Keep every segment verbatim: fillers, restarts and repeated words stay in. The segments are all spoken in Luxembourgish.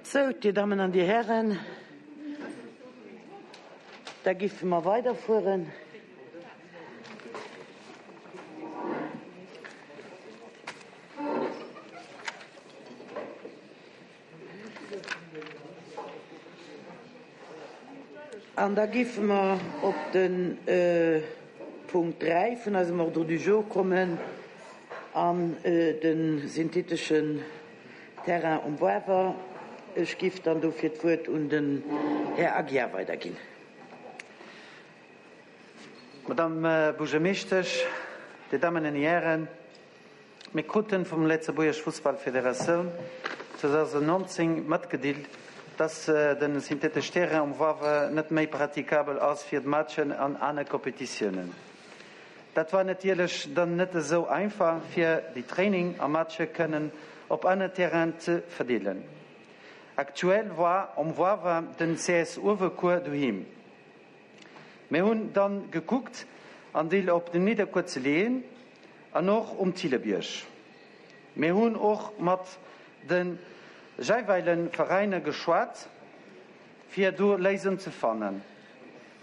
Sou, Dir Dammen an Dir Hären, da giffe mer weiderfueren. An da giffe mer op de Punkt dräi vun eisem Ordre du jour kommen an de syntheteschen Terrain um Boiwer. Ech giff dann dofir d'Wuert un den Här Aguiar weiderginn. Madame Buergermeeschtesch, Dir Dammen an Dir Hären, mir kruten vum Lëtzebuergesch Fussballfederatioun zweedausendnonzéng matgedeelt, dass den synthetesch Terrain um Woiwer net méi pratikabel ass fir d'Matchen an aner Kompetitiounen. Dat war natierlech dann net esou einfach fir déi Training a Matche kënnen op aner Terrainen ze verdeelen. Aktuell war um Woiwer den C S Uewerkuer doheem. Mir hunn dann gekuckt en Deel op den Nidderkuer ze leeën an och um Thillebierg. Mir hunn och mat de jeeweilege Veräiner geschwat fir do Léisung ze fannen.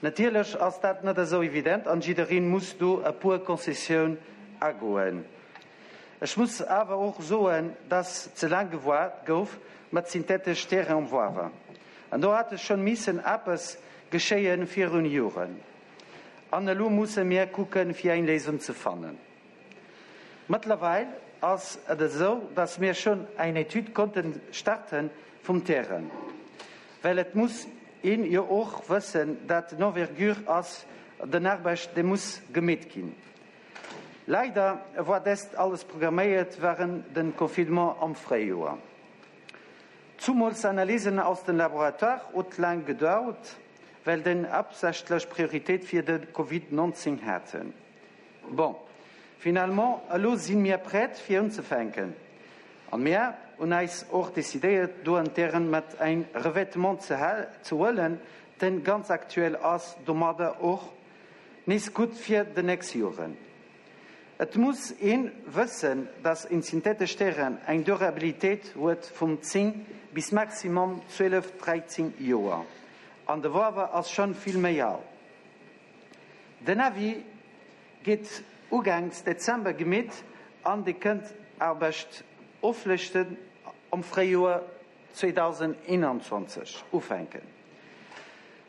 Natierlech ass dat net esou evident an jiddereen muss do e puer Concessioun agoen. Ech muss awer och soen, dass ze laang gewaart gouf mat synthetesch Terrain um Woiwer. An do hat schonn missen eppes geschéien virun Joren. An elo musse mir kucken fir eng Léisung ze fannen. Mëttlerweil ass et esou, dass mir schonn eng Etüd konnten starten vum Terrain. Well et muss een jo och wëssen, dat d'Envergure ass den Aarbecht, dee muss gemeet ginn. Leider war dest alles programméiert während den Confinement am Fréijoer. Zumools Analysen aus dem Laboratoire huet laang gedauert, well den haaptsächlech Prioritéit fir de Covid neunzéng haten. Bon, finalement elo si mir prett fir unzefänken. An mir hunn eis och decidéiert, do en Terrain mat ein Revêtement ze ze huelen, den ganz aktuell ass, domadder och nees gutt fir de nächst Joren. Et muss een wëssen, dass en synthetesch Terrain eng Durabilitéit huet vum zéng bis maximum zwielef, dräizéng Joer. An de Woiwer ass schonn vill méi al. Den Avis geet ugangs Dezember gemeet an de kënnt Aarbecht oflechten am Fréijoer zweedausendeenanzwanzeg ufänken.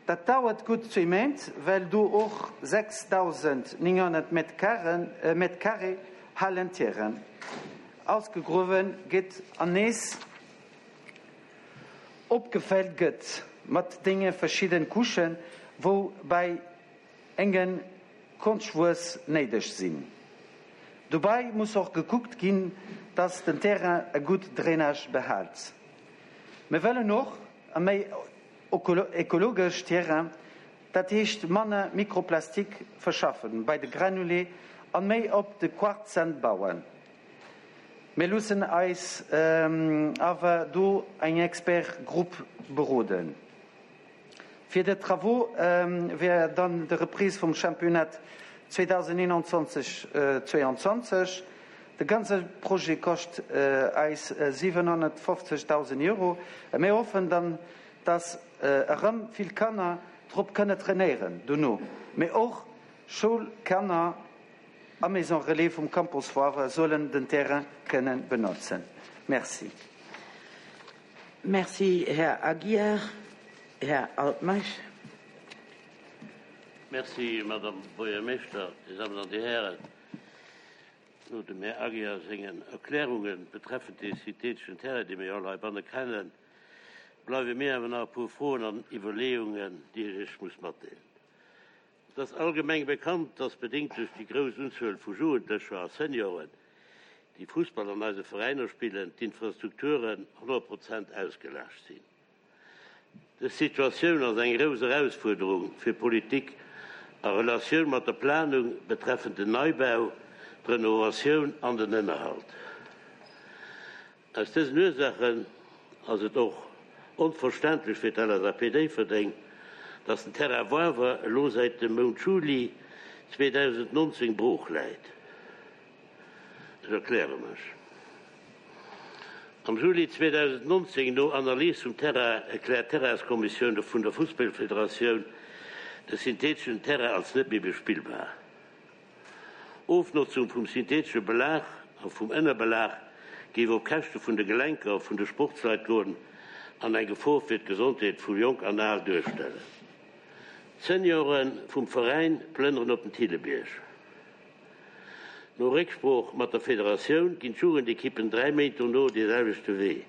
Dat dauert gutt zwee Méint, well do och sechsdausendnénghonnert Mètres carré Hallenterrain ausgegruewen gëtt an nees opgefëllt gëtt mat denge verschiddene Couchen, wou bei engen Konschtwuess néideg sinn. Dobäi muss och gekuckt ginn, dass den Terrain e gutt Drainage behält. Mir wëllen och e méi ökologesch Terrain, dat heescht manner Mikroplastik verschaffen bei de Granulé an méi op de Quarzsand bauen. Mir loossen eis awer do eng Expertgrupp beroden. Fir de Travaux wär dann de Reprise vum Championnat zweedausendeenanzwanzeg zwéianzwanzeg. De ganze Projet koscht eis siwenhonnertfofzegdausend Euro. Mir hoffen dann, dass erëm vill Kanner drop kënne trainéieren dono, mee och Schoulkanner a Maison Relais vum Campus Foire sollen den Terrain kënne benotzen. Merci. Merci, Här Aguiar. Här Altmeisch. Merci, Madame Buergermeeschter, Dir Dammen an Dir Hären. No dem Här Aguiar sengen Erklärungen betreffend de syntheteschen Terrain, dee mir all heibanne kennen, bleiwe mir awer nach e puer Froen an Iwwerleeungen, déi ech Iech muss matdeelen. Et ass allgemeng bekannt, dass bedéngt duerch déi grouss Unzuel vu Jugendlecher a Senioren, déi Fussball an eise Veräiner spillen, d'Infrastrukturen honnert Prozent ausgelaascht sinn. Dës Situatioun ass eng grouss Erausfuerderung fir Politik a Relatioun mat der Planung betreffend den Neibau, d'Renovatioun an den Ënnerhalt. Aus dësen Ursaachen ass et och onverständlech fir d'L S A P Déifferdeng, dass den Terrain Woiwer elo säit dem Mount Juli zweedausendnonzéng brooch läit. Ech erkläre mech. Am Juli zweedausendnonzéng, no Analys vum Terrain, erkläert d'Terrainskommissioun vun der Fussballfederatioun de syntheeteschen Terrain als net méi bespillbar. Ofnotzung vum syntheetesche Belag a vum Ënnerbelag géif op Käschte vun de Gelenker vun de Sportsleit goen an eng Gefor fir d'Gesondheet vu Jonk an Al duerstellen. D'Seniore vum Veräin plënneren op den Thillebierg. No Récksprooch mat der Federatioun ginn d'Jugendekippen dräi Méint dono dee selwechte Wee.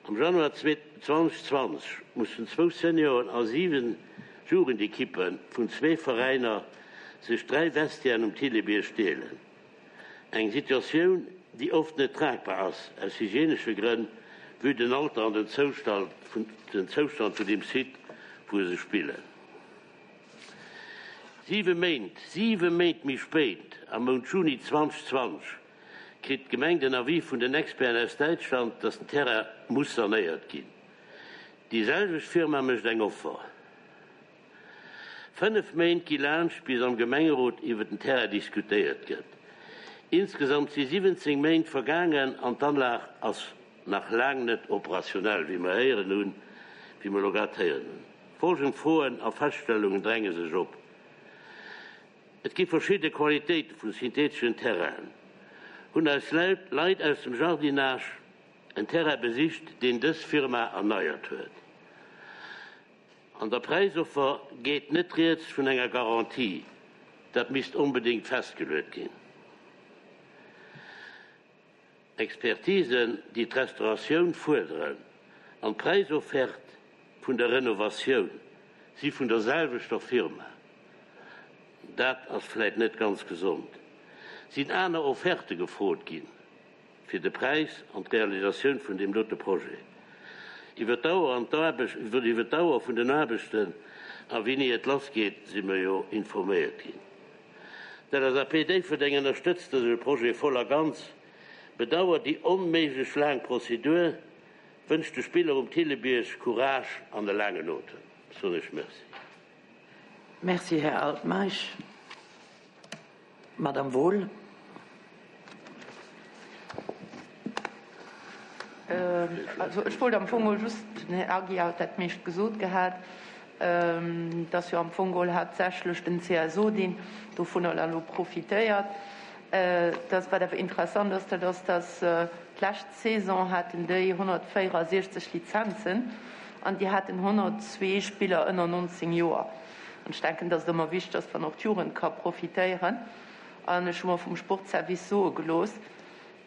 Am Januar zweetausendzwanzeg mussen zwou Senioren a siwen Jugendekippe vun zwee Veräiner sech dräi Vestiairen um Thillebierg deelen. Eng Situatioun, déi oft net tragbar ass, aus hygienesche Grënn, vue den Alter an den Zoustand vun deem Site, wou se spillen. Siwe Méint, siwe Méint méi spéit, am Mount Juni zweetausendzwanzeg, kritt d'Gemeng den Avis vun den Experten aus Däitschland, dass den Terrain muss sanéiert ginn. Déi selwecht Firma mécht eng Offer. Fënnef Méint gi laanscht, bis am Gemengerot iwwer den Terrain diskutéiert gëtt. Insgesamt si siwwenzéng Méint vergaangen an d'Anlag ass nach laang net operationell, wéi mer héieren hunn, wéi mer elo grad héieren hunn. Folgend Froen a Feststellungen dränge sech op. Et gi verschidde Qualitéite vu syntheeteschen Terrainen. Hunn eis Leit aus dem Jardinage en Terrain besicht, deen dës Firma erneiert huet. An der Präisoffer geet net rieds vun enger Garantie. Dat misst onbedéngt festgeluet ginn. Expertisen, déi d'Restauratioun fuerderen, an d'Präisoffert vun der Renovatioun si vun der selwechter Firma. Dat ass vläit net ganz gesond. Sinn aner Offerte gefrot ginn fir de Präis an d'Realisatioun vun deem dote Projet? Iwwer d'Dauer an d'Aarbecht, iwwer d'Dauer vun den Aarbechten a wéini et lassgeet, si mer jo informéiert ginn. D'L S A P Déifferdeng ënnerstëtzt dëse Projet voll a ganz, bedauert déi onméiglech laang Prozedur, wënscht de Spiller um Thillebierg Courage an e laangen Otem. Soen ech Merci. Merci, Här Altmeisch. Madame Wohl. Also ech wollt am Fong geholl just, den Här Aguiar huet dat meescht gesot gehat, dass jo am Fong geholl haaptsächlech den C S O, deen dovunner elo profitéiert. Dass, wat awer interessant ass, dat ass, dass d'lescht Saison haten déi honnertvéierundsechzeg Lizenzen an déi haten honnertzwee Spiller ënner nonzéng Joer. An ech denken, dass et ëmmer wichteg ass, wann och d'Jugend ka profitéieren. An ech hu mer vum Sportservice soe gelooss,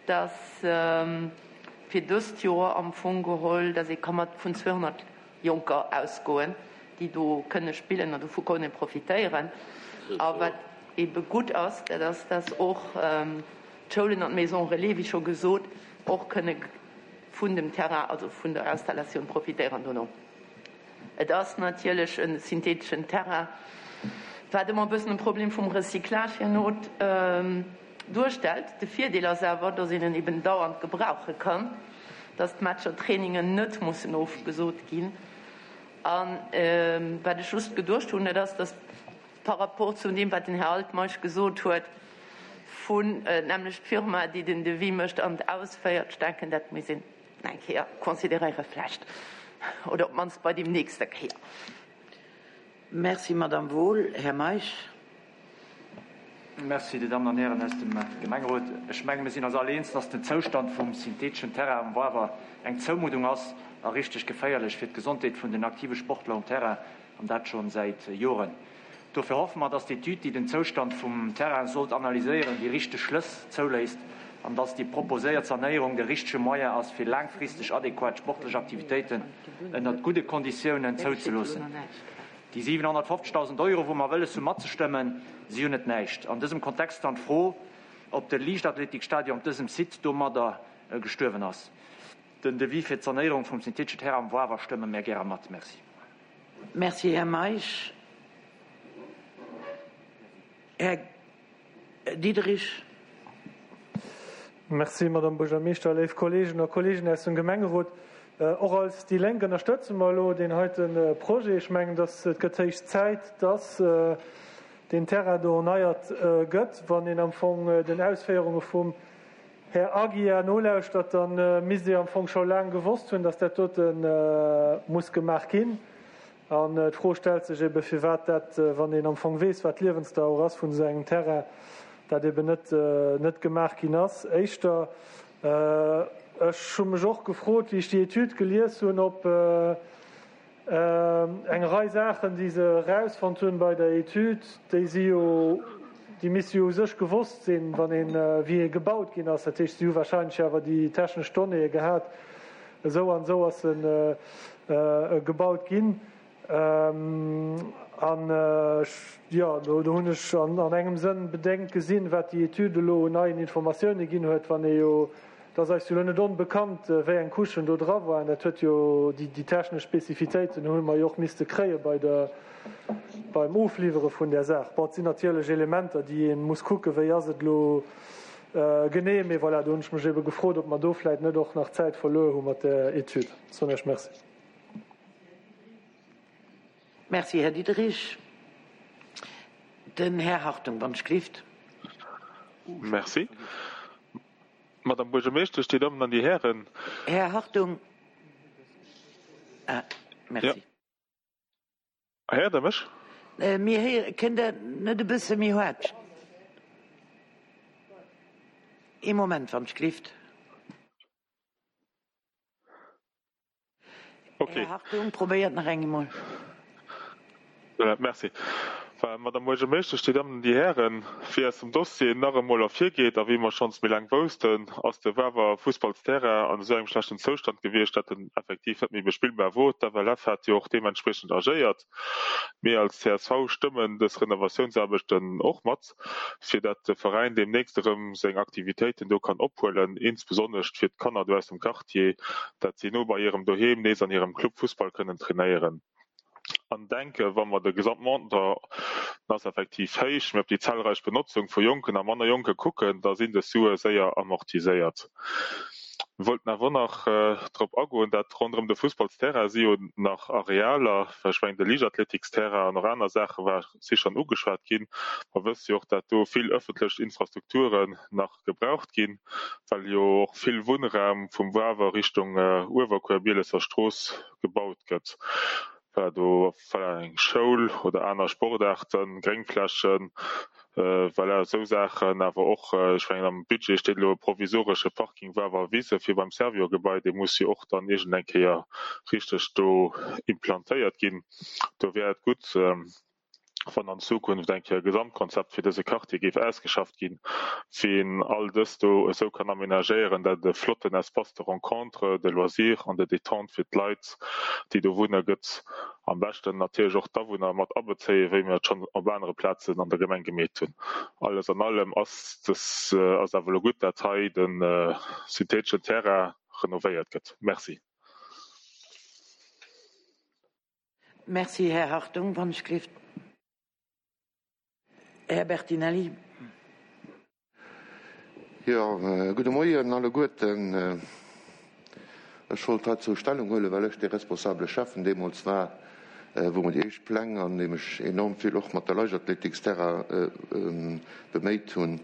dass fir dëst Joer am Fong geholl, dass ee ka mat vun zweehonnert Jonker ausgoen, déi do kënne spillen an dovu kënne profitéieren. A wat ebe gutt ass, dat ass, dass och d'Schoulen an d'Maison Relais, wéi scho gesot, och kënne vun dem Terrain, also vun der Installatioun profitéieren dono. Et ass natierlech e syntheeteschen Terrain, wat ëmmer e bëssen e Problem vum Recyclage herno duerstellt. De Virdeel ass awer, dass een en eben dauernd gebrauche kann, dass d'Matcher, Trainingen net mussen ofgesot ginn. A wat ech just geduecht hunn, dat ass, dass par rapport zu deem, wat den Här Altmeisch gesot huet, vun nämlech d'Firma, déi den Devis mécht an ausféiert, ech denken, dat muss een eng Kéier consideréiere vläicht, oder op d'mannst bei deem nächste Kéier. Merci, Madame Wohl. Här Meisch. Merci, Dir Dammen an Hären aus dem Gemengerot. Ech menge mir sinn eis all eens, dass den Zoustand vum syntheeteschen Terrain um Wawer eng Zoumuddung ass a richteg geféierlech fir d'Gesondheet vun den aktive Sportler um Terrain, an dat scho säit Joren. Dofir hoffe mer, dass d'Etüd, déi den Zoustand vum Terrain sollt analyséieren, déi richteg Schlëss zouléisst an dass déi proposéiert Sanéierung de richtege Moyen ass, fir laangfristeg adequat sportlech Aktivitéiten ënnert gudde Konditiounen zouzeloossen. Déi siwenhonnertfofzegdausend Euro, wou mer wëlles hu matzestëmmen, si jo net näischt. An dësem Kontext dann d'Fro, ob de Liichtathletikstadion op dësem Site domadder gestuerwen ass. Den Devis fir d'Sanéierung vum syntheeteschen Terrain am Wawer stëmme mir gäre mat. Merci. Merci, Här Meisch. Här Diederich. Merci, Madame Buergermeeschter, léif Kolleegen a Kolleegen aus dem Gemengerot. Och als déi Lénk ënnerstëtze mer elo deen heite Projet. Ech mengen, dass et gëtt héich Zäit, dass deen Terrain do erneiert gëtt, wann een am Fong den Ausféierunge vum Här Aguiar nolauschtert, dann misst Dir am Fong scho laang gewosst hunn, dass dat dote muss gemaach ginn. An d'Fro stellt sech ebe firwat dat, wann een am Fong weess, wat d'Liewensdauer ass vun esou engem Terrain, dat eben net net gemaach ginn ass. Éischter, ech hu mech och gefrot, wéi ech déi Etüd gelies hunn, ob eng Rei Saachen, déi se erausfonnt hunn bei der Etüd, déi si jo, déi misste jo u sech gewosst sinn, wann een, wéi e gebaut ginn ass. Dat heescht, si hu wahrscheinlech awer déi technesch Donnéeë gehat, esou an esou ass e gebaut ginn. An jo, do hunn ech an engem Sënn bedéngt gesinn, wat déi Etüd elo un neien Informatioune ginn huet, wann ee jo, et ass eis jo elo net onbekannt, wéi eng Couchen do dra waren. Dat huet jo, déi technesch Spezifitéiten hu mer jo och misste kréie bei der, beim Ofliwwere vun där Saach. Bon, et sinn natierlech Elementer, déi ee muss kucken, wéi ass et elo genee, mee voilà, do hunn ech mech ebe gefrot, ob mer do vläicht net och nach Zäit verluer hu mat där Etüd. Soen Iech Merci. Merci, Här Diderich. Den Här Hartung, wann ech gelift. Merci. Madame Buergermeeschtesch, Dir Dammen an Dir Hären. Här Hartung. Ah, merci. Ja. Héiert Der mech? Mir héieren. Kënnt Der net e bësse méi haart? Ee Moment, wann ech gelift. Okay. Här Hartung, probéiert nach eng emol. Voilà, merci. Voilà, Madame Buergermeeschtesch, Dir Dammen an Dir Hären, wéi aus dem Dossier nach emol ervirgeet a wéi mer schonns méi laang woussten, ass de Wawer Fussballsterrain an esou engem schlechten Zoustand gewiescht, dat en effektiv net méi bespillbar wor. D'F L F hat jo och deementspriechend agéiert. Mir als C S V stëmmen dës Renovatiounsaarbechten och mat, fir dat de Veräin deemnächst erëm seng Aktivitéiten do kann ophuelen, insbesonnescht fir d'Kanner do aus dem Quartier, dat si no bei hirem Doheem nees an hirem Club Fussball kënnen trainéieren. An denke wa mer de Gesamtmontant, den ass effektiv héich, mee op déi zahlreich Benotzung vu Jonken a manner Jonke kucken, da sinn dës Sue séier amortiséiert. Mir wollten awer och nach drop agoen, dat ronderëm de Fussballsterrain si jo nach Arealer, well ech mengen de Liichtathletiksterrain an och aner Saache war si schonn ugeschwat ginn. Mer wësse jo och, dat do vill ëffentlech Infrastrukturen nach gebraucht ginn, well jo och vill Wunnraum vum Wawer Richtung Uewerkuer, Bielesser Strooss gebaut gëtt. Voilà, do voilà, eng Schoul oder aner Sportaarten, Gréngflächen, voilà, esou Saachen. Awer och, ech mengen am Budget steet elo e provisoresche Parking Wawer Wise fir beim Servior-Gebai, dee muss jo och dann iergend eng Kéier richteg do implantéiert ginn. Do wär et gutt, wann an Zukunft eng Kéier e Gesamtkonzept fir dëse Quartier géif ausgeschafft ginn, wéi een all dëst do esou kann aménagéieren, dat et e flotten Espace de rencontre, de loisir an de détente fir d'Leit, déi do wunne gëtt. Am beschten natierlech och d'Awunner mat abezéien, wéi mir et schonn op anere Plazen an der Gemeng gemeet hunn. Alles an allem ass dës ass awer elo gutt, dat hei de syntheteschen Terrain renovéiert gëtt. Merci. Merci, Här Hartung. Wann ech gelift. Här Bertinelli. Jo, gudde Moien alleguerten. Ech wollt heizou Stellung huelen, well ech dee responsabele Schäffen deemools war, wou mer déi éischt Pläng an deem ech enorm vill och mat der Leichtathletiksterrain beméit hunn.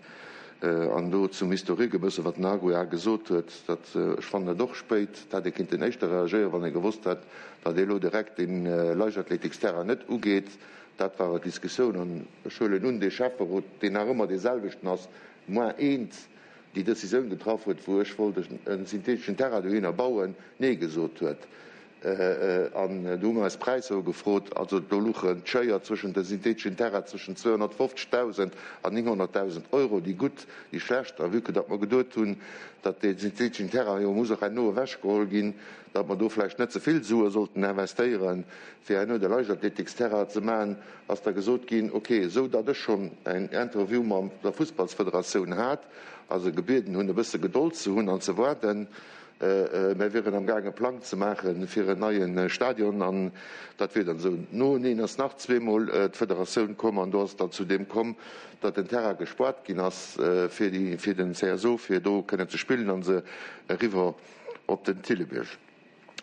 An do zum Historique e bësse wat den Aguiar gesot huet, dat ech fannen et och spéit, et hätt ee kinnten éischter reagéieren, wann ee gewosst hätt, datt ee elo direkt dee Leichtathletiksterrain net ugeet. Dat war awer d'Diskussioun. An ech huelen un, dee Schäfferot, deen nach ëmmer dee selwechten ass, moins eent, déi Decisioun getraff huet, wou ech wollt e syntheteschen Terrain dohinner bauen, Nee gesot huet. An do hu mer eis Präisser ugefrot. Also do luchen d'Schéier zwëschent de syntheteschen Terrain zwëschen zweehonnertfofzegdausend an nénghonnertdausend Euro, déi gutt, déi schlecht. A vue que datt mer geduet hunn, datt dee syntheteschen Terrain jo muss och herno ewechgeholl ginn, datt mer do vläicht net ze vill Sue sollten investéieren, fir herno de Leichtathletiksterrain ze maachen, ass da gesot ginn, ok, esou datt ech schonn en Interview mam der Fussballsfederatioun hat a se gebieden hunn, e bësse Gedold ze hunn an ze waarden, mär wieren am gaang e Plang ze maache fir en neie Stadion an dat wier dann esou. Noeneen ass nach zweemol d'Federatioun komm an do ass et dann zu deem komm, datt den Terrain gespuart ginn ass fir déi, fir den C S O, fir do kënnen ze spillen a se eriwwer op den Thillebierg.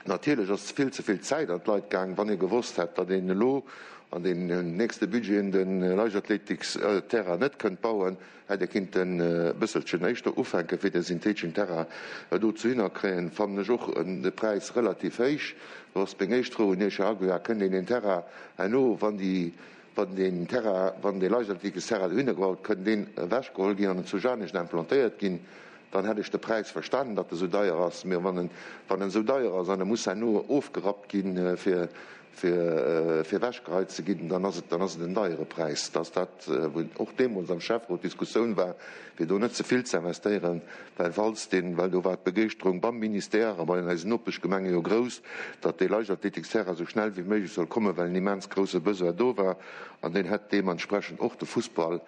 Natierlech ass vill ze vill Zäit an d'Leit gaang. Wann ee gewosst hätt, datt een elo an den nächste Budgeten de Leichtathletiksterrain net kënnt bauen, hätt ee kinnten e bësselchen éischter ufänken, fir de syntheteschen Terrain do zu hinnerkréien. Fannen ech och de Präis relativ héich. Do ass meng éischt Fro un Iech, Här Aguiar, Kënnt een deen Terrain herno, wann déi, wann deen Terrain, wann dee Leichtathletiksterrain dohinner gebaut, kënnt deen ewechgeholl ginn an zu Janescht implantéiert ginn? Dann hätt ech de Präis verstanen, datt e sou deier ass. Mä wann en, wann en sou deier ass an e muss herno ofgerappt ginn, fir, fir, fir ewechgeheit ze ginn, dann ass et, dann ass et en deiere Präis. Dat ass dat, wou och deemools am Schäfferot d'Diskussioun war, fir do net ze vill ze investéieren, well falls deen, well do war d'Begeeschterung beim Ministère a bei eisen Nopeschgemenge jo grouss, datt dee Leichtathletiksterrain esou schnell wéi méiglech soll kommen, well en immens grousse Besoin do war an deen hätt deementsprechend och de Fussball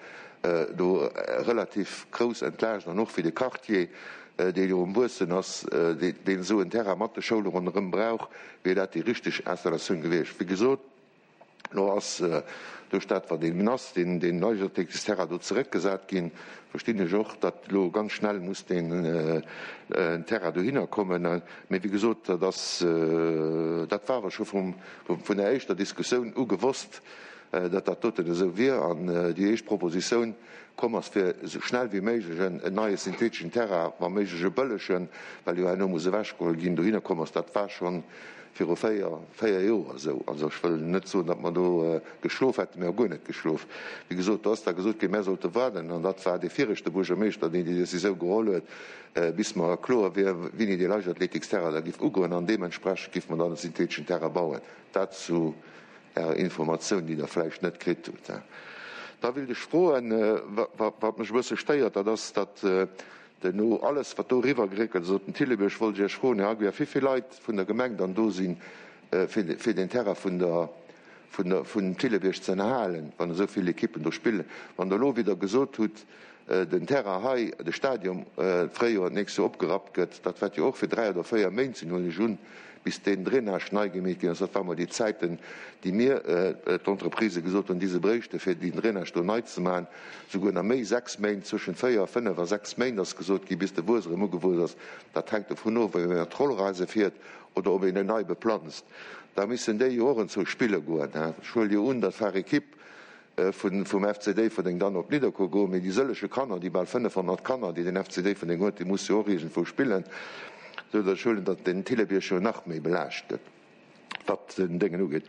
do relativ grouss entlaascht an och fir de Quartier, dee jo um Wuessen ass, deen esou en Terrain mat de Schoule ronderëm brauch, wier dat déi richteg Installatioun gewiescht. Wéi gesot, elo ass duerch dat, wat eben ass, deen Leichtathletiksterrain do zeréckgesat ginn, verstinn ech och, datt elo ganz schnell muss deen Terrain dohinner kommen. Mee wéi gesot, dat ass, dat war awer scho vum, vun der éischter Diskussioun u gewosst, datt dat doten esou wier an déi éischt Propositioun komm ass, fir esou schnell wéi méiglech en neie syntheteschen Terrain, wa méiglech e bëllegen, well jo herno muss ewechgeholl ginn, dohinner komm ass. Dat war scho viru véier, véier Joer esou. Also ech wëll net soen, datt mer do geschlof hätten, mir hu guer net geschlof. Wéi gesot, do ass da gesot ginn, mär sollte waarden, an dat war dee viregte Buergermeeschter, deen déi Décisioun geholl huet, bis mer kloer wier, wéini dee Leichtathletiksterrain da giff ugoen, an deementsprechend giffe mer dann e syntheteschen Terrain bauen. Dat zu Är Informatioun, déi Der vläicht net kritt hutt. Da wéilt ech froen, wat mech e bësse stéiert, dat ass, datt no alles, wat do eriwwergeréckelt ass op den Thillebierg, wollt ech Iech froen, Här Aguiar, wéi vill Leit vun der Gemeng dann do sinn, fir den Terrain vun der, vun der, vum Thillebierg ze ënnerhalen, wann esou vill Ekippen do spillen. Wann Der elo wieder gesot hutt, den Terrain hei, de Stadion, d'Fréijoer d'nächst Joer opgerappt gëtt, dat wäert jo och fir dräi oder véier Méint sinn, huelen ech un, bis deen Drainage nei gemeet ginn ass. Dat war mol déi Zäiten, déi mir, d'Entreprisë gesot hunn, déi se bréichte fir deen Drainage do nei ze maachen, souguer nach méi, sechs Méint, zwëschent véier, fënnef a sechs Méint ass gesot ginn, bis de Wues erëm ugewuess ass. Dat hänkt dovun of, ob een mat Rollereise fiert oder ob een en nei beplanzt. Da missen déi jo och enzou spille goen. Ech huele jo un, datt var Ekipp vun vum F C Déifferdeng dann op Nidderkuer goen, mee déi sëllege Kanner, déi bal fënnefhonnert Kanner, déi den F C Déifferdeng huet, déi musse jo och iergendwou spillen, esou datt ech huelen, datt den Thillebierg jo nach méi belaascht gëtt, wat den Déngen ugeet.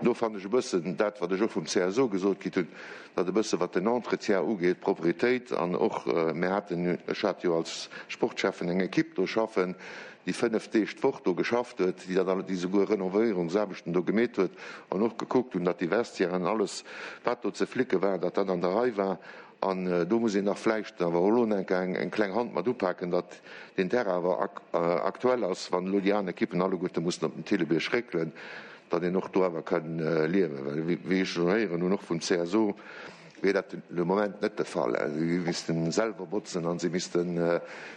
Do fannen ech e bëssen dat, wat ech och vum C S O gesot kritt hunn, datt e bësse wat den Entretien ugeet, d'Propretéit an och, mir haten, ech hat jo als Sportschäffen eng Ekipp do schaffen, déi fënnef Deeg d'Woch do geschafft huet, déi dat alles, déi souguer Renovéierungsaarbechten do gemeet huet an och gekuckt hunn, datt déi Vestiairen, alles wat do ze flicke war, datt dat an der Rei war. An do muss een nach vläicht awer och elo enk eng kleng Hand mat upaken, datt deen Terrain awer aktuell ass, wann elo déi aner Ekippen alleguerte mussen op den Thillebierg réckelen, datt een och do awer kann liewen. Well wéi ech elo héieren hunn, och vum C S O, wier dat de Moment net de Fall. Si missten selwer botzen an si missten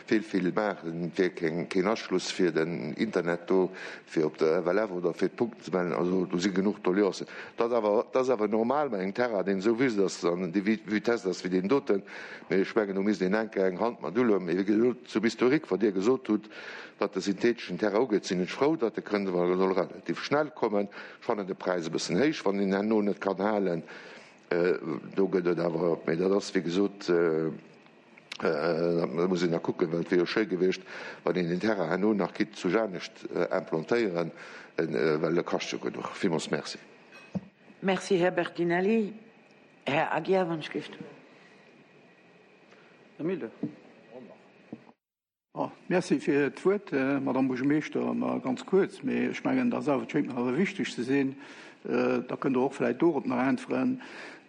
vill, vill maachen. Et wier keen Aschluss fir den Internet do, fir op der F L F oder fir d'Punkten ze mellen. Also do si genuch Doleancen. Dat ass awer normal bei engem Terrain, deen esou wüst ass an déi Vitesse ass wéi deen doten. Mee ech mengen, do misst een enke eng Hand mat uloen. Mee wéi gesot, zum Historique, wat Dir gesot hutt, wat de syntheteschen Terrain ugeet, sinn ech frou, datt e kënnt, well e soll relativ schnell kommen. Ech fannen de Präis e bëssen héich, wann een herno net kann halen. Do gëtt et awer, mee dat ass wéi gesot, dat muss een nach kucken, well et wier jo schéi gewiescht, wann een den Terrain herno nach kinnt zu Janescht implantéieren, well e kascht jo genuch. Villmools merci. Merci, Här Bertinelli. Här Aguiar, wann ech géif. Här Mille. Merci fir d'Wuert, Madame Buergermeeschter. Ma ganz kuerz, mee ech mengen, dat ass awer, et schéngt mer awer wichteg ze sinn. Da kënnt Der och vläicht dorop nach äntweren.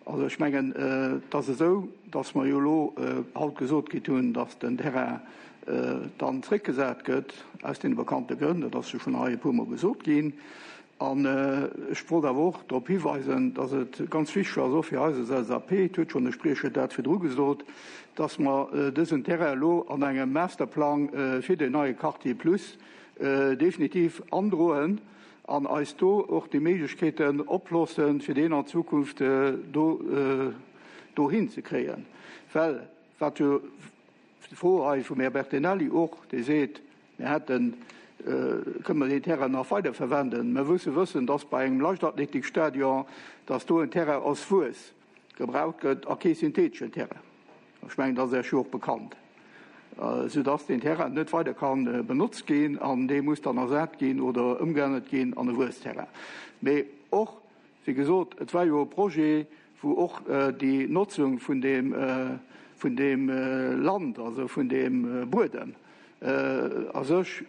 Also ech mengen, et ass esou, dass mer jo elo haut gesot kritt hunn, dass den Terrain dann zréckgesat gëtt, aus deene bekannte Grënn. Dat ass jo schonn hei e puermol gesot ginn. An ech wollt awer och drop hiweisen, dass et ganz wichteg ass, och fir eis als L S A P, et huet schonn de Spriecher dat virdru gesot, dass mer dësen Terrain elo an engem Masterplang fir den neie Quartier Plus definitiv androen an eis do och déi Méiglechkeeten oploossen, fir deen an Zukunft do dohin ze kréien. Well wat jo d'Fro hei vum Här Bertinelli och, dee seet, mir hätten kënne mer deen Terrain nach weider verwenden. Mer musse wëssen, dass bei engem Leichtathletikstadion, dass do en Terrain aus Wues gebraucht gëtt a kee syntheteschen Terrain. Ech mengen, dat ass Iech jo och bekannt. Soudass deen Terrain net weider ka benotzt ginn an dee muss dann ersat ginn oder ëmgeännert ginn an e Wuesterrain. Mee och, wéi gesot, et war jo e Projet, wou och déi Notzung vun deem, vun deem Land, also vun deem Buedem a sech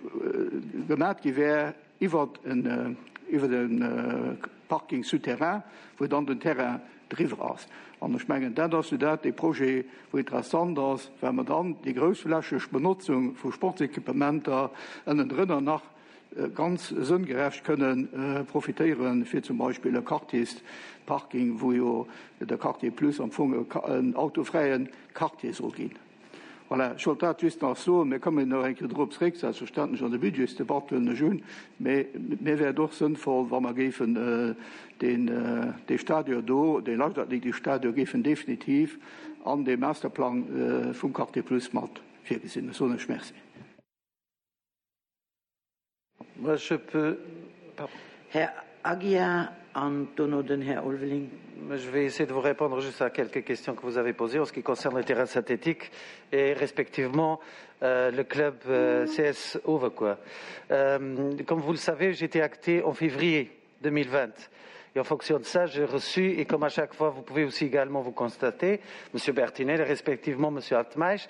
gemat gi wär iwwert en, iwwert e Parking souterrain, wou dann den Terrain driwwer ass. An ech mengen, dat ass jo dat, dee Projet, wou interessant ass, well mer dann déi groussflächeg Benotzung vu Sportsequipementer ënnendrënner nach ganz sënngerecht kënnen profitéieren, fir zum Beispill e Quartiersparking, wou jo de Quartier Plus am Fong en autofräie Quartier soll ginn. Voilà, ech wollt dat just nach soen. Mir kommen nach eng Kéier drop zréck, selbstverständlech an der Budgetsdebatt, huelen ech un. Mee mir wär et och sënnvoll, wa mer géifen deen, dee Stadion do, dee Leichtathletikstadion géifen definitiv an deem Masterplang vum Quartier Plus mat virgesinn. Ech soen lech Merci. Moi, je peux. Pardon. Här Aguiar an dono den Här Ulveling. Je vais essayer de vous répondre juste à quelques questions que vous avez posées en ce qui concerne le terrain synthétique et respectivement euh, le club euh, C S Overquois. Euh, comme vous le savez, j'ai été acté en février deux mille vingt. Et en fonction de ça, j'ai reçu, et comme à chaque fois, vous pouvez aussi également vous constater, monsieur. Bertinel et respectivement monsieur. Altmaisch,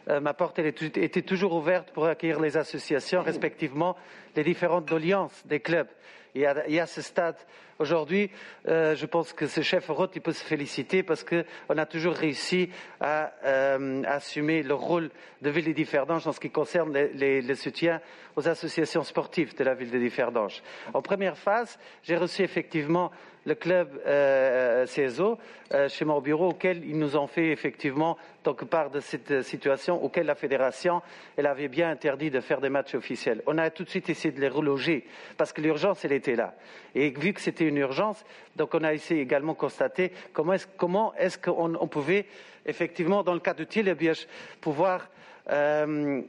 euh, ma porte elle était toujours ouverte pour accueillir les associations, respectivement les différentes doléances des clubs. Et à, et à ce stade, aujourd'hui, euh, je pense que ce Schäfferot, il peut se féliciter parce qu'on a toujours réussi à, euh, assumer le rôle de ville de Differdange en ce qui concerne les, les, le soutien aux associations sportives de la ville de Differdange. En première phase, j'ai reçu effectivement le club euh, C S O euh, chez moi au bureau, auquel ils nous ont fait effectivement donc part de cette situation auquel la fédération elle avait bien interdit de faire des matchs officiels. On a tout de suite essayé de les reloger parce que l'urgence elle était là. Et vu que c'était une urgence, donc on a essayé également constater comment est-ce comment est-ce qu'on on pouvait effectivement dans le cadre de Thielebiech pouvoir euh,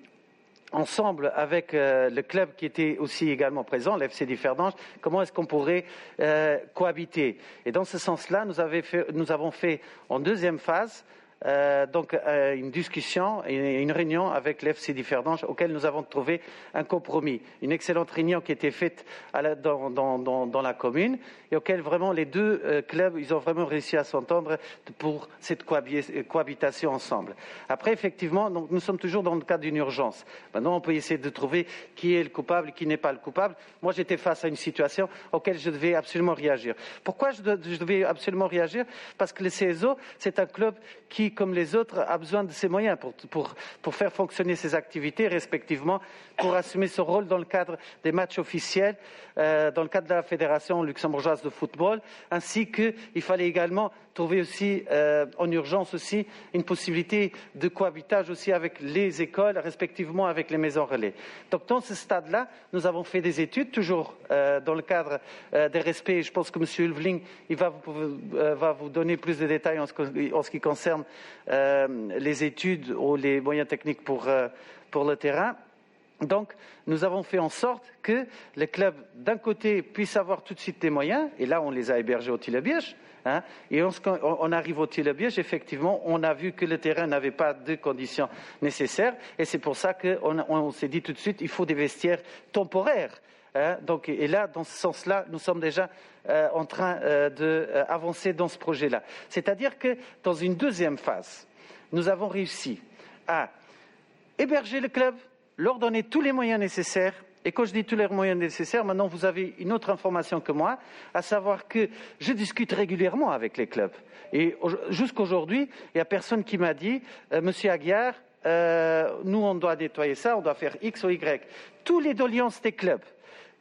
ensemble avec euh, le club qui était aussi également présent, l'F C Differdange, comment est-ce qu'on pourrait euh, cohabiter. Et dans ce sens-là, nous, nous avons fait en deuxième phase euh, donc euh, une discussion et une réunion avec l'F C Differdange auquel nous avons trouvé un compromis. Une excellente réunion qui était faite à la, dans, dans, dans, dans la commune et auquel vraiment les deux euh, clubs ils ont vraiment réussi à s'entendre pour cette cohabitation ensemble. Après, effectivement, donc, nous sommes toujours dans le cadre d'une urgence. Maintenant, on peut essayer de trouver qui est le coupable, qui n'est pas le coupable. Moi, j'étais face à une situation auquel je devais absolument réagir. Pourquoi je, je devais absolument réagir? Parce que le C S O, c'est un club qui, comme les autres, a besoin de ses moyens pour, pour, pour faire fonctionner ses activités, respectivement, pour assumer son rôle dans le cadre des matchs officiels, euh, dans le cadre de la Fédération luxembourgeoise de football, ainsi qu'il fallait également trouver aussi, euh, en urgence aussi, une possibilité de cohabitage aussi avec les écoles, respectivement avec les maisons relais. Donc dans ce stade-là, nous avons fait des études, toujours euh, dans le cadre euh, des respects. Je pense que monsieur. Ulveling il va vous, euh, va vous donner plus de détails en ce, en ce qui concerne euh, les études ou les moyens techniques pour, euh, pour le terrain. Donc, nous avons fait en sorte que les clubs, d'un côté, puissent avoir tout de suite des moyens, et là, on les a hébergés au Thielebiech, hein, et on, on arrive au Thielebiech, effectivement, on a vu que le terrain n'avait pas de conditions nécessaires, et c'est pour ça qu'on on, s'est dit tout de suite, il faut des vestiaires temporaires. Hein, donc, et là, dans ce sens-là, nous sommes déjà euh, en train euh, d'avancer dans ce projet-là. C'est-à-dire que dans une deuxième phase, nous avons réussi à héberger le club, leur donner tous les moyens nécessaires. Et quand je dis tous les moyens nécessaires, maintenant vous avez une autre information que moi, à savoir que je discute régulièrement avec les clubs. Et jusqu'aujourd'hui, il n'y a personne qui m'a dit, euh, Monsieur Aguiar, euh, nous on doit nettoyer ça, on doit faire X ou Y. Tous les doléances des clubs,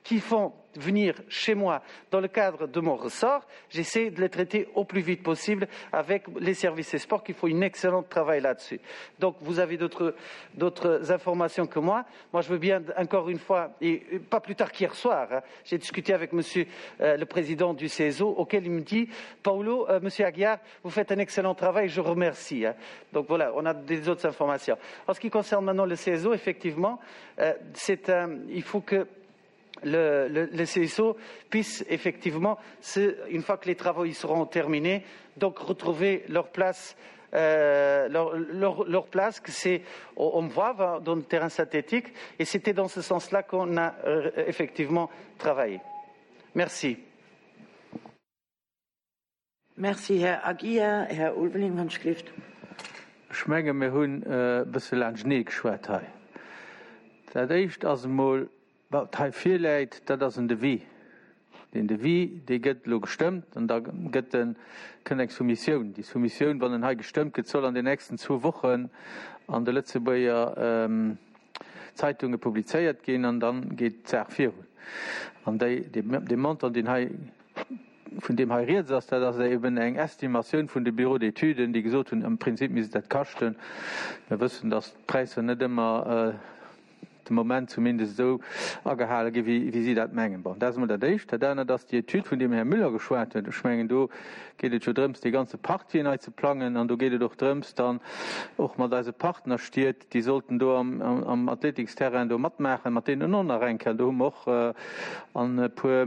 qui font venir chez moi dans le cadre de mon ressort, j'essaie de les traiter au plus vite possible avec les services et sports qui font un excellent travail là-dessus. Donc vous avez d'autres d'autres informations que moi. Moi je veux bien encore une fois, et pas plus tard qu'hier soir, hein, j'ai discuté avec monsieur euh, le président du C S O auquel il me dit Paolo, euh, monsieur Aguiar, vous faites un excellent travail, je remercie. Hein. Donc voilà, on a des autres informations. En ce qui concerne maintenant le C S O, effectivement, euh, c'est un, il faut que le, le, le C S O puisse effectivement, une fois que les travaux y seront terminés, donc retrouver leur place euh, leur, leur, leur place, que c'est on voit dans le terrain synthétique, et c'était dans ce sens-là qu'on a euh, effectivement travaillé. Merci. Merci, Här Aguiar. Här Ulveling, Handschrift. Ech menge mir hunn e bësse laanschtenee geschwat hei. Dat éischt ass emol, wat hei virläit, dat ass en Devis. Den Devis, dee gëtt elo gestëmmt an da gëtt en, kënnt eng Soumissioun. Déi Soumissioun, wann en hei gestëmmt gëtt, soll an den nächsten zwou Wochen an de Lëtzebuerger ähm, Zeitunge publizéiert ginn an dann geet d'Saach virun. An déi, dee, dee Montant, deen hei vun deem hei rieds ass, dat ass eben eng Estimatioun vun de Bureau d'études, déi gesot hunn, am Prinzip misst dat kaschten. Mir wëssen, dass d'Präisser net ëmmer äh, de Moment zumindest esou agehale gi wéi, wéi si dat mengen. Bon, dat ass emol dat éischt. Dat anert ass déi Etüd, vun deem Här Müller geschwat huet. Ech mengen, do geet et jo drëms, dee ganze Partie nei ze plangen an do geet et och drëms, dann och mat eise Partnerstied, déi sollten do am, am, am Athletiksterrain do matmaachen, mat deenen och nach eng Kéier. Do hu mer och äh, an e puer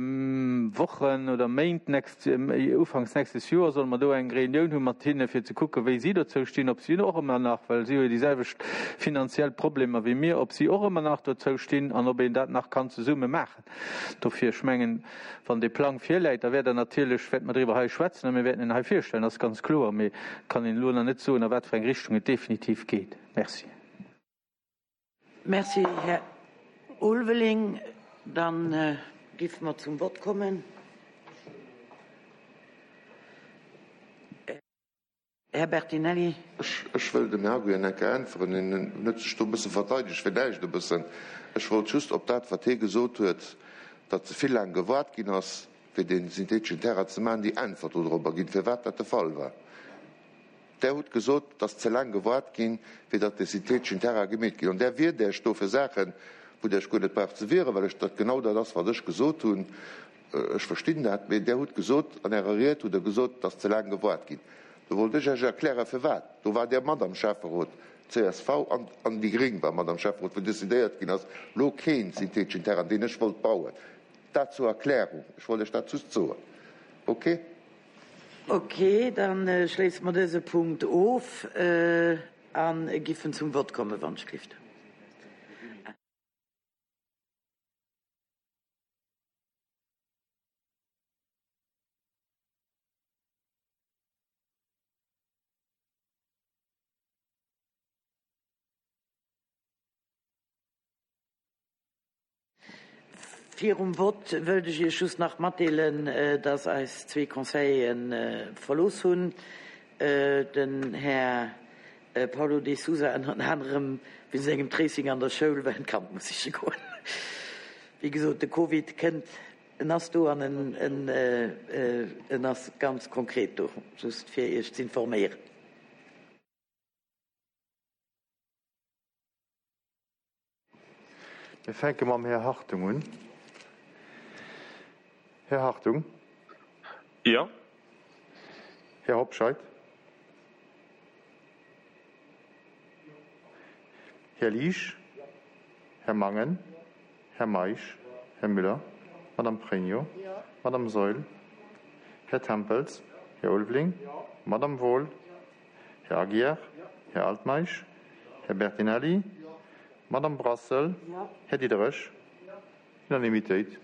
Wochen oder Méint nächst, äh, ufanks nächstes Joer solle mer do eng Reunioun hu mat hinne fir ze kucke wéi si dozou stinn, ob si och ëmmer nach, well si hu jo déi selwecht finanziell Problemer wéi mir, ob si och ëmmer nach dozou stinn an ob een dat nach kann zesumme maachen. Dofir, ech mengen, wann de Plang virläit, da wäert der natierlech wäerte mer driwwer hei schwätzen a mir wäerten en hei virstellen, dat ass ganz kloer, mee kann een elo nach net soen, a wat fir eng Richtung et definitiv geet. Merci. Merci, Här Ulveling. Dann äh, géife mer zum Vott kommen. Här Bertinelli. Ech, ech wëll dem Här Aguiar eng Kéier äntweren. En huet sech do e bësse verteidegt, villäicht e bëssen. Ech wollt just op dat, wat hie gesot huet, datt ze vill laang gewaart ginn ass, fir dee syntheteschen Terrain ze maachen, déi Äntwert dodrobber ginn, firwat dat de Fall war. Der hutt gesot, datt ze laang gewaart ginn, fir datt de syntheteschen Terrain gemeet ginn. An där wiert Iech do fir Saachen, wou Der Iech guer net braucht ze wieren, well ech dat genau dat ass, wat ech gesot hunn. Ech verstinn dat, mee Der hutt gesot, an Ärer Ried hutt Der gesot, datt ze laang gewaart ginn. Do wollt ech Iech erklären, firwat. Do war Der mat am Schäfferot, C S V an, an déi Gréng war mat am Schäfferot, wou decidéiert ginn ass, lo keen syntheteschen Terrain, deen ech wollt bauen. Dat zur Erklärung. Ech wollt Iech dat just soen. Okay? Okay, dann äh, schléisse mer dëse Punkt of äh, an géifen zum Vott kommen, wann Schrift. Virum Vott wëllt ech Iech just nach matdeelen, äh, dass eis zwee Conseilleren äh, verlooss hunn. Äh, den Här Paulo de Sousa ënner anerem wéinst engem Tracing an der Schoul, well en d'Kand muss siche goen. Wéi gesot, de Covid kënnt, en ass do an en, en, en ass ganz konkret do, just fir Iech ze informéieren. Mir fänke mam Här Hartung un. Här Hartung. Ja. Här Hobscheit. Här Liesch. Här Mangen. Här Meisch. Här Müller. Madame Pregno. Madame Seul. Här Tempels. Här Ulveling. Madame Wohl. Här Aguiar. Här Altmeisch. Här Bertinelli. Madame Brassel. Här Diderich. Unanimitéit.